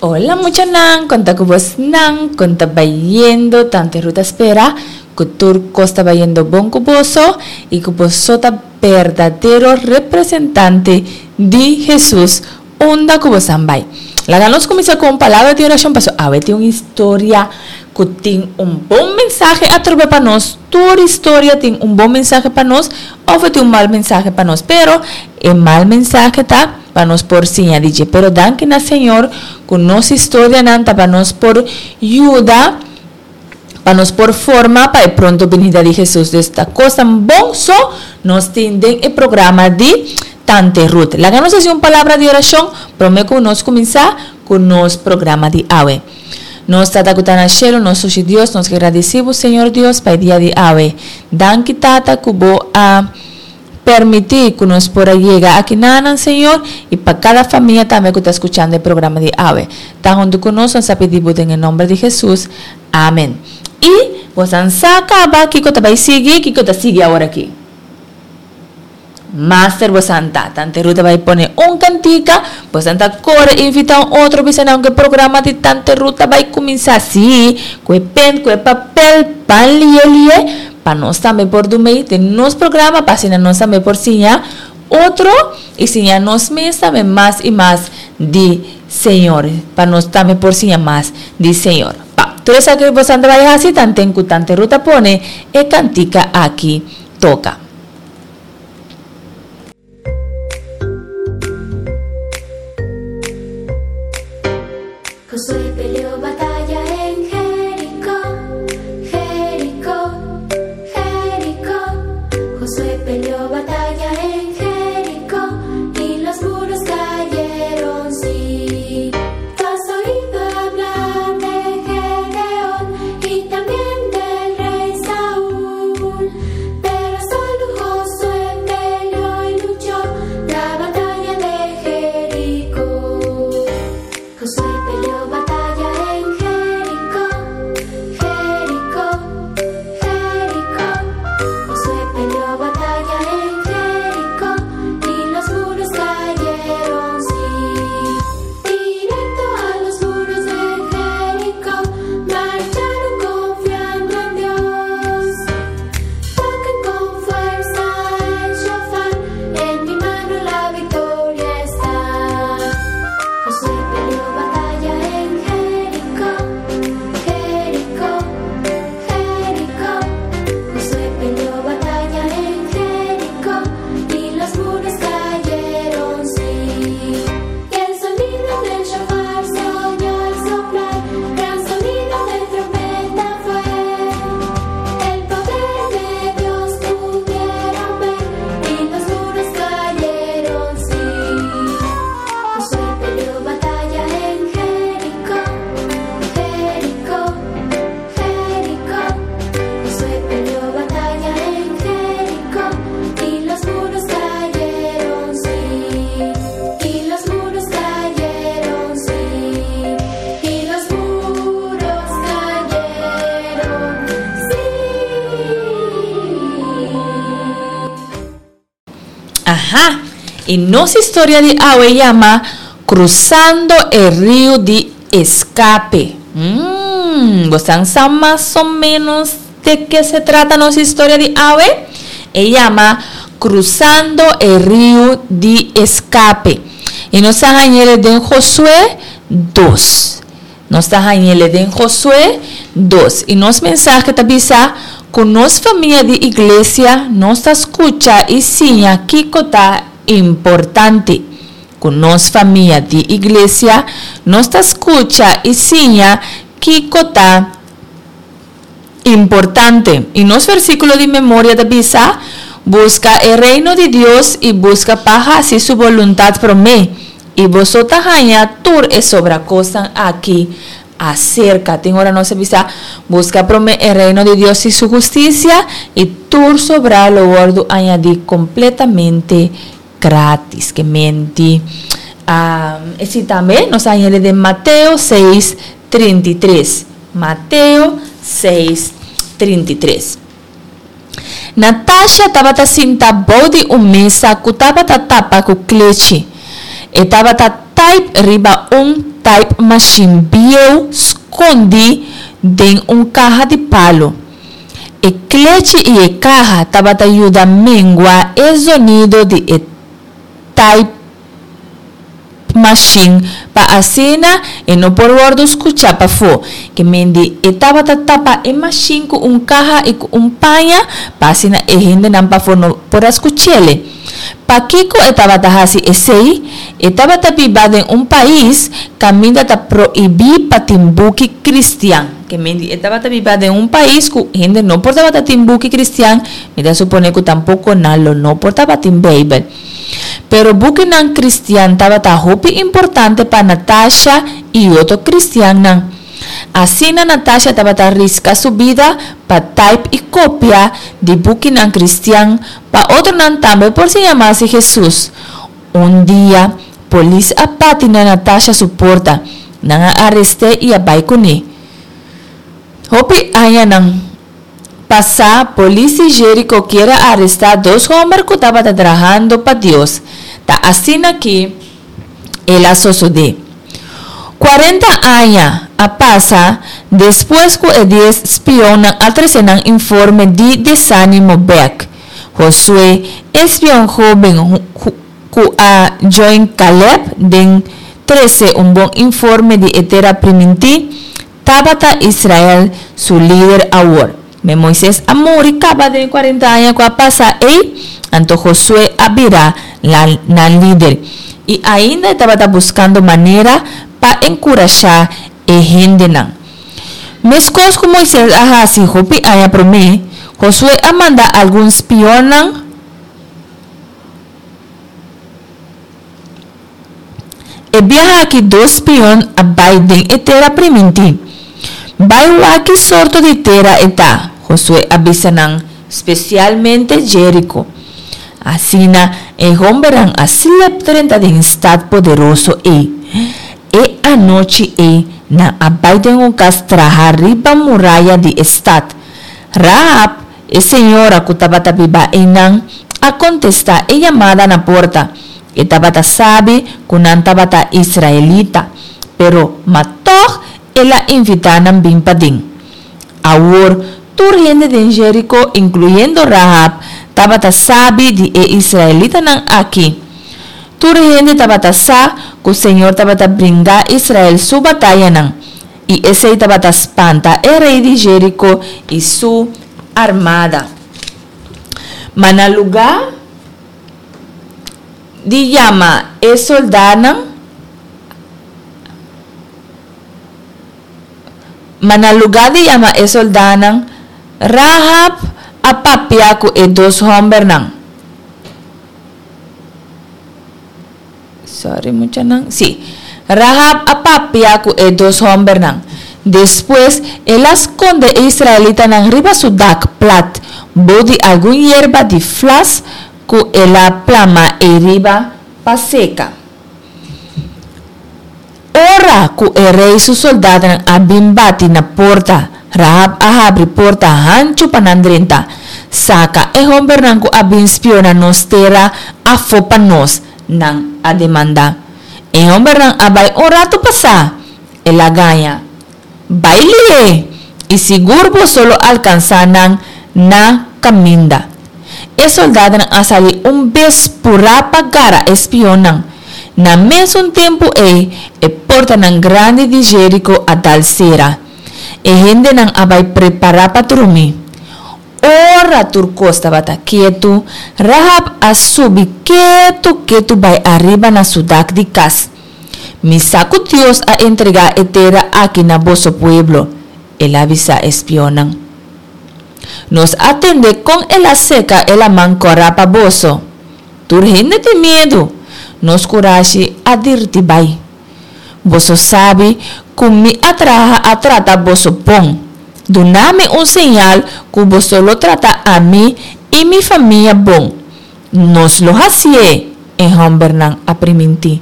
Hola muchanan, con ta cu bosnan, con ta bayendo, Tante Ruth ta spera cu tur cos ta bayendo bon cu boso y cu boso ta berdadero representante di Jesus unda cu bosan bay. Laga nos cuminsa cu un palabra di oracion paso awe tin un historia cu tin un bon mensahe atrobe pa nos, tur historia tin un bon mensahe pa nos of e tin un mal mensahe pa nos, pero e mal mensahe ta pa nos por siña di dje, pero danki na Señor cu nos historianan ta pa nos por yuda pa nos por forma pa e pronto binida di Jesus. Dus ta cosnan bon so nos tin den e programa di Tante Ruth. Laga nos haci un palabra di oracion prome cu nos cuminsa cu nos programa di awe. Nos Tata cu ta na cielo, nos Sushi Dios, nos gradeci bo Señor Dios pa e dia di awe. Danki Tata cu bo a Permití ku nos por a yega aki nanan, Señor, i pa kada famia tambe ku ta skuchando e programa di awe. Ta huntu ku nos, nos a pidi Bo den e nomber di Hesus. Amen. I bosan sa kaba kiko ta bai sigui, kiko ta sigui awor aki? Master bosan ta. Tante Ruth a bai pone un kantika, bosan ta kore invitá un otro bisa nan ku e programa di Tante Ruth ta bai kuminsá. Sí, ku e pen, ku e papel, ban lié lié. Pa nos tambe por dumei den nos programa pa asina nos tambe por siña otro y siña nos mes tambe mas y mas di Señor. Pa nos tambe por siña mas di Señor. Pa tur esaki bosan ta bai haci tanten cu Tante Ruth a pone e cantica aki toca. Josué peleó batalla en Jericó, Jericó, Jericó. Josué peleó batalla en Jericó y los muros cayeron, sí. Tú has oído hablar de Gedeón y también del rey Saúl, pero solo Josué peleó y luchó la batalla de Jericó. Josué peleó batalla en Jericó, Jericó, Jericó. Josué peleó batalla en Jericó y los muros cayeron, sí. Directo a los muros de Jericó marcharon confiando en Dios. Toquen con fuerza el shofar, en mi mano la victoria está. Josué peleó batalla en Jericó, Jericó, Jericó. Josué peleó batalla en Jericó y los muros cayeron, sí. Y el sonido del shofar se oyó al soplar, gran sonido de trompeta fue. El poder de Dios pudieron ver y los muros cayeron, sí. Josué peleó batalla en Jericó, Jericó, Jericó. Josué peleó batalla en Jericó y los muros cayeron, sí. Y los muros cayeron, sí. Y los muros cayeron, sí. Aha! Y nos historia di awe yama Cruzando e Rio di Escape. Mmm, bosan sa mas o menos de ke se trata nos historia di awe? E yama Cruzando e Rio di Escape. Y nos a hañ'ele den Josué dos. Nos ta hañ'ele den Josué dos. I nos mensahe ta bisa ku nos famia di iglesia nos ta skucha i siña kiko ta importante. Ku nos famia di iglesia nos ta skucha i siña kiko ta importante. I nos versíkulo di memoria ta bisa, Buska e Reino di Dios i buska pa hasi su boluntat promé, i boso ta haña tur e sobra kosnan aki aserka. Tin ora nos a bisa, Buska promé e Reino di Dios i su hustisia, i tur sobrá lo wòrdu añadí kompletamente grátis. Ke menti. Esei tambe nos a haña den Mateo seis, 33. Mateo seis, 33. Natasha tabata sinta bou di un mesa ku tabata tapa ku klechi. E tabata taip riba un. type machine bieu skondí den un kaha di palu. E klechi i e kaha tabata yuda mengua e zonido di e type machine pa asina e no por wòrdu skuchá pafó. Ke mende e tabata tapa e machine ku un kaha i ku un paña pa asina e hendenan pafó no por a skuch'ele. Pakiko e tabata hasi esei? E tabata biba den un pais kaminda ta prohibí pa tin buki kristian. Ke mende e tabata biba den un pais ku hende no por tabata tin buki kristian, mi ta supone ku tampoko nan lo no por tabatin Beibel. Pero bukinan kristian tabata hopi importante pa Natasha i otro kristiannan. Asina Natasha tabata riska su bida pa taip i kopia di bukinan kristian pa otronan tambe por siña mas di Hesus. Un dia, polis a bati na Natasha su porta. Nan a arest'é i a bai kuné. Hopi añanan pasá, polis di Jeriko kier a arestá dos hòmber ku tabata trahando pa Dios. Ta asina ki el a sosodé. Kuarenta aña a pasa despues ku e dies spionnan a trese nan informe di desánimo bèk. Josué, e spion hóben ku a join Kalèb den trese un bon informe di e tera primintí, Tabata Israel su lider awor. Me Moises a muri kaba den e kuarenta aña ku a pasa ei, anto Josué a bira nan lider. I ainda e tabata buskando manera pa enkurashá e hendenan. Meskos ku Moises a hasi hopi aña promé, Josué a manda algun spionnan. E biaha aki dos spion a bai den e tera primintí. Bai wak ki sorto di tera e ta, Josué a bisa nan, spesialmente Jeriko. Asina e hombernan a slep drenta den e stat poderoso ei. E anochi ei nan a bai den un kas traha riba muraya di e stat. Rahab, e señora ku tabata biba einan, a kontestá e yamada na porta. E tabata sabi ku nan tabata israelita, pero ma tòg el a invitá nan bin paden. Awor, tur hende den Jeriko, inkluyendo Rahab, tabata sabi di e israelitanan akí. Tur hende tabata sa ku señor tabata bringa Israel su batayanan, i esei tabata spanta e rei di Jeriko i su armada. Ma na lugá di yama e soldánan, ma na lugá di yama e soldánan, Rahab a papia ku e dos hòmbernan. Sorry muchanan. Sí. Rahab a papia ku e dos hòmbernan. Despues, el a skonde e israelitanan riba su dak plat, bou di algun yerba di flas ku el a plama eiriba pa seka. Ora ku e rei su soldadonan a bin bati na porta, Rahab a habri porta hanchu pa nan drenta. Saka e hombernan ku a bin spiona nos tera afó pa nos, nan a demandá. E hombernan a bai un ratu pasá, el a gaña. Bai lihé, i sigur boso lo alkansá nan na kaminda. E soldadonan a sali un bes purá pa gara e spionnan. Na mesun tempu ei, e portanan grandi di Jeriko a dal sera. E hendenan a bai prepará pa drumi. Ora tur kos tabata ketu, Rahab a subi ketu ketu bai ariba na su dak di kas. Mi sa ku Dios a entregá e tera aki na boso pueblo, el a bisa e spionnan. Nos a tende kon el a seka e laman kòrá pa boso. Tur hende tin miedu. Nos kurashi a dirti bai. Boso sabi ku mi a traha a trata boso bon. Duna mi un señal ku boso lo trata ami i mi famia bon. Nos lo hasié, e hòmbernan a primintí.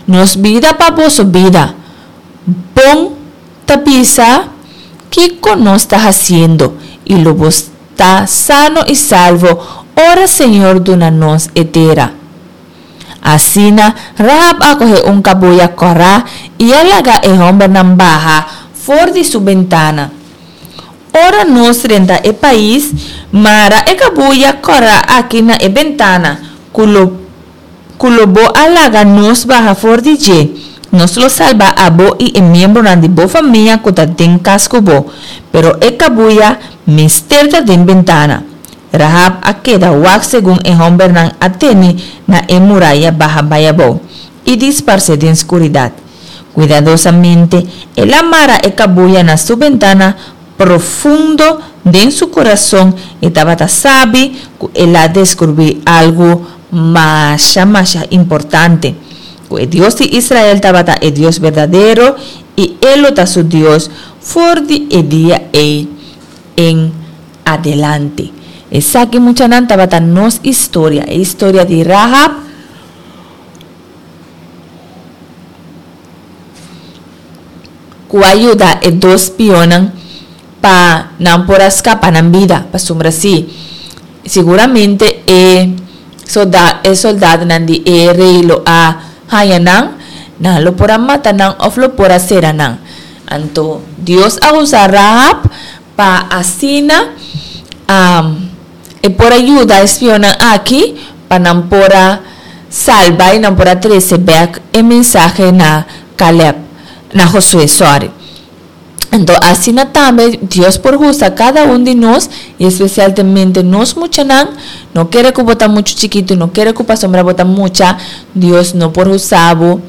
Nos bida pa boso bida. Bon ta bisa kiko nos ta hasiendo i lo bo ta sano i salvo ora Señor duna nos e tera. Asina, Rahab a kohe un kabuya kòrá i a laga e hòmbernan baha for di su bentana. Ora nos drenta e pais, mara e kabuya kòrá aki na e bentana ku lo ku lo bo a laga nos baha for di dje. Nos lo salba abo i e miembronan di bo famia ku ta den kas ku bo. Pero e kabuya mester ta den bentana. Rahab a keda wak segun e hòmbernan a tene na e muraya baha bai abou i disparsé den skuridat. Kuidadosamente el a mara e kabuya na su bentana profundo den su kurason e tabata sabi ku el a deskubrí algu masha masha importante, ku e Dios di Israel tabata e Dios berdadero i e lo ta su Dios for di e dia ei en adelante. Esaki muchanan tabata nos historia, e historia di Rahab ku a yuda e dos spionnan pa nan por a skapa nan bida. Pasobra si, siguramente e solda e soldadonan di e rei lo a haña nan, nan lo por a mata nan òf lo por a sera nan. Anto Dios a usa Rahab Pa asina e por a yuda e spionnan aki pa nan por a salba i nan por a trese bek e mensahe na Caleb, na Josué, sòri. Anto asina tambe Dios por usa kada un di nos i espesialmente nos muchanan. No kere ku bo ta muchu chikitu, no kere ku pasobra bo ta mucha Dios no por usa bo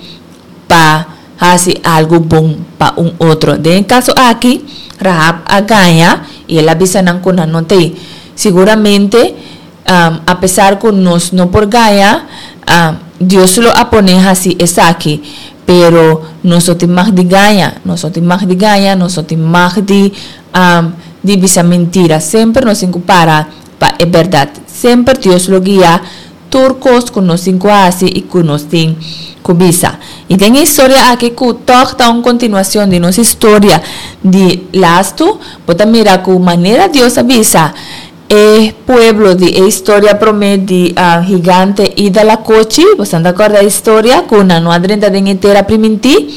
pa hasi algu bon pa un otro. Den e kaso aki, Rahab a gaña i el a bisa nan ku nan no t'ei. Siguramente, apesar ku nos no por gaña, Dios lo a pone hasi esaki. Pero nos no tin mag di gaña, nos no tin mag di gaña, nos no tin mag di di bisa mentira. Semper nos tin ku para pa e bèrdat. Semper Dios lo guia Tur kos ku nos tin ku hasi i ku nos tin ku bisa. I den e historia aki ku tòg ta un kontinuashon di nos historia di lastu, bo ta mira ku manera Dios a bisa e pueblo di e historia promé di higante i dalakochi, bo ta kòrda e historia ku nan no a drenta den e tera primintí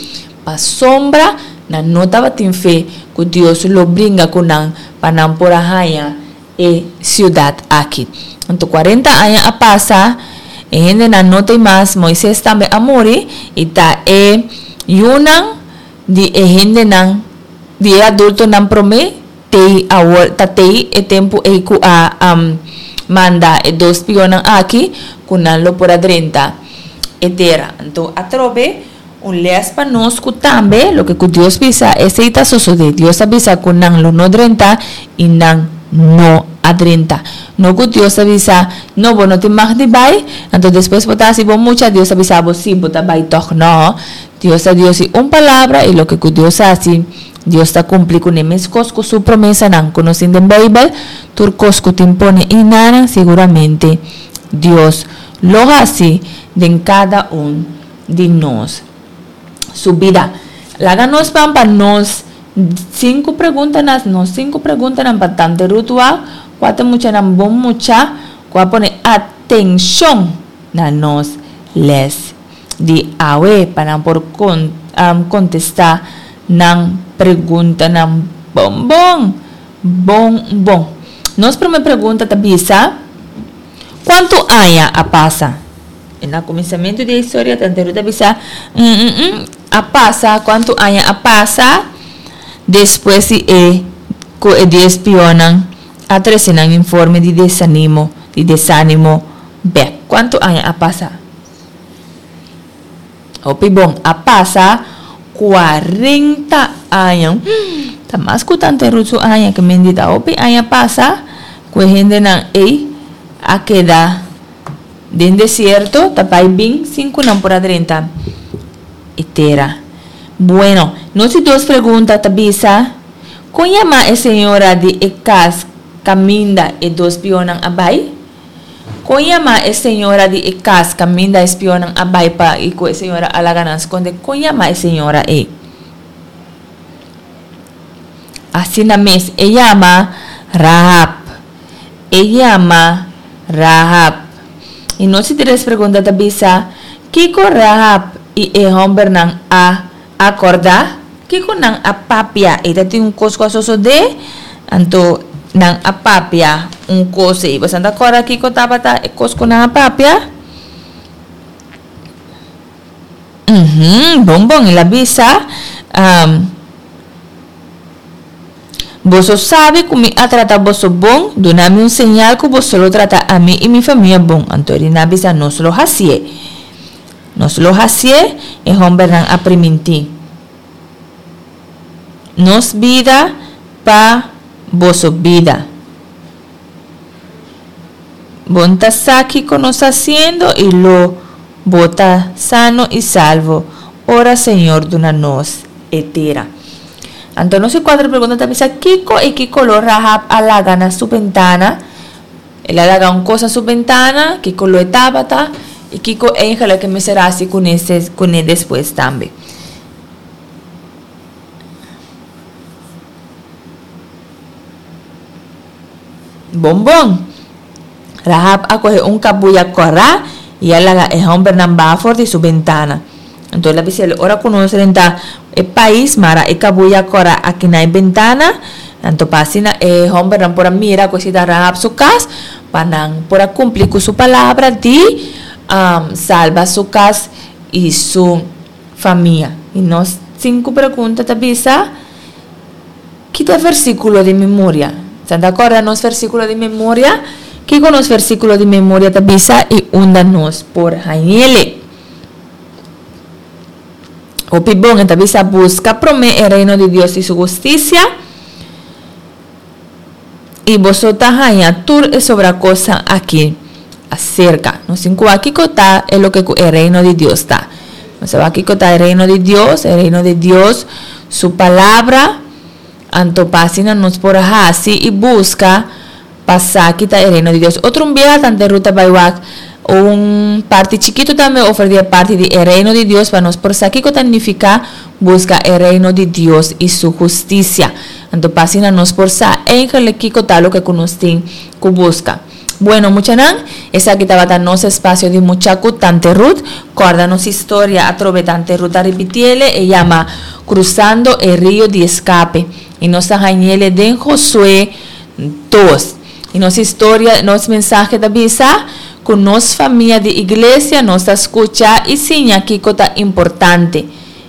pasobra nan no tabatin fe ku Dios lo bringa ku nan pa nan por a haña e siudat aki. Anto kuarenta aña a pasa, e hendenan no t'ei mas, Moises tambe a muri, i ta e yunan di e hendenan, di e adultonan promé t'ei awor, ta t'ei e tempu ei ku a manda e dos spionnan aki, ku nan lo por a drenta e tera. Anto atrobe. Un les pa nos ku tambe loke ku Dios bisa esei ta sosodé. Dios a bisa ku nan lo no drenta i nan no a drenta. No ku Dios a bisa, no bo no tin mag di bai, anto despues bo ta hasi bo mucha, Dios a bisa bo si bo ta bai tòg. No, Dios ta Dios di un palabra i loke ku Dios hasi, Dios ta kumpli kuné meskos ku su promesanan ku nos tin den Beibel, tur kos ku tin pone i nana siguramente Dios lo hasi den kada un di nos su bida. Laga nos ban pa nos sinku preguntanan, nos sinku preguntanan pa Tante Ruth wak, kua ta muchanan bon mucha ku a pone atenshon na nos les di awe pa nan por kontestá nan preguntanan bon bon, bon bon. Nos promé pregunta ta bisa, Kuantu aña a pasa? E na kuminsamentu di e historia Tante Ruth a bisa, Mm-mm-mm, a pasa, kuantu aña a pasa despues di e ku e dies pionnan a trese nan informe di desanimo, di desanimo bèk. Kuantu aña a pasa? Hopi bon, a pasa kuarenta aña. Ta mas ku Tante Ruth su aña ke men di ta hopi aña pasa ku e hendenan ei a keda den desierto ta bai bin sin ku nan por a drenta e tera. Bueno, nos di dos pregunta ta bisa, Kon yama e señora di e kas kaminda e dos pionnan a bai? Kon yama e señora di e kas kaminda e spionnan a bai pa i ku e señora a laga nan skonde? Kon yama e señora ei? Asina mes e yama Rahab. E yama Rahab. I nos di tres pregunta ta bisa, Kiko Rahab i e hòmbernan a akordá? Kiko nan a papia? E ta tin un kos ku a sosodé, anto nan a papia un kos ei. Boso ta kòrda kiko tabata e kos ku nan a papia? Uhum, bon bon, el a bisa, Boso sabi ku mi a trata boso bon, duna mi un señal ku boso lo trata ami i mi famia bon. Anto Rina a bisa, Nos lo hasié. Nos lo hasié, e hòmbernan a primintí. Nos bida pa boso bida. Bon ta sa kiko nos ta hasiendo i lo bo ta sano i salvo ora Señor duna nos e tera. Anto nos e cuatro pregunta ta bisa kico y ki color Rahab a laga na su bentana? El a laga un cos na su bentana, ki color e tabata y kico eigenlijk e mester haci cune cune despues tambe. Bon bon! Rahab a coge un cabuya cora y a laga e hombernan baha for di su bentana. Anto el a bisa el, Ora cu nos renta e pais, mara e cabuya cora aki na e bentana. Anto pa asina e hombernan por a mira cu esei ta Rahab su cas, pa nan por a cumpli cu su palabra di salba su cas y su famia. Y nos cinco pregunta ta bisa. Ki ta e versíkulo di memoria? Sa ta kòrda nos versíkulo di memoria? Kiko nos versíkulo di memoria ta bisa i unda nos por hañ'ele? Hopi bon, e ta bisa, Buska promé e Reino di Dios i su hustisia, i boso ta haña tur e sobra kosnan akí aserka. Nos tin ku wak kiko ta e loke ku e Reino di Dios ta. Nos a wak kiko ta e Reino di Dios, e Reino di Dios su palabra, anto pa asina nos por hasi i buska pa sa ki ta e Reino di Dios. Otro un biaha tante Ruth a bai wak un parti chikitu tambe over di e parti di e Reino di Dios pa nos por sa kiko ta nifiká buska e Reino di Dios i su hustisia. Anto pa asina nos por sa eigenlijk kiko ta loke ku nos tin ku buska. Bueno muchanan, esaki tabata nos espacio di Mucha cu Tante Ruth. Corda nos historia atrobe Tante Ruth a ripitiele, e yama Cruzando e Rio di Escape y nos ta hañele den Josué dos. Y nos historia, nos mensahe ta bisa cu nos famia di iglesia nos ta scucha y siña kico ta importante.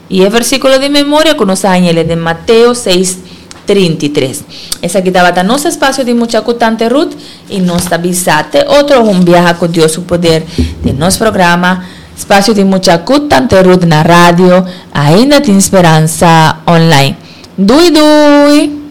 I e versíkulo di memoria ku nos a hañ'el e den Mateo seis, 33. Esaki tabata nos espasio di mucha ku Tante Ruth i nos ta bisa te otro un biaha ku Dios su poder den nos programa Spasio di Mucha ku Tante Ruth na radio Ainda Tin Speransa Online. Dui dui!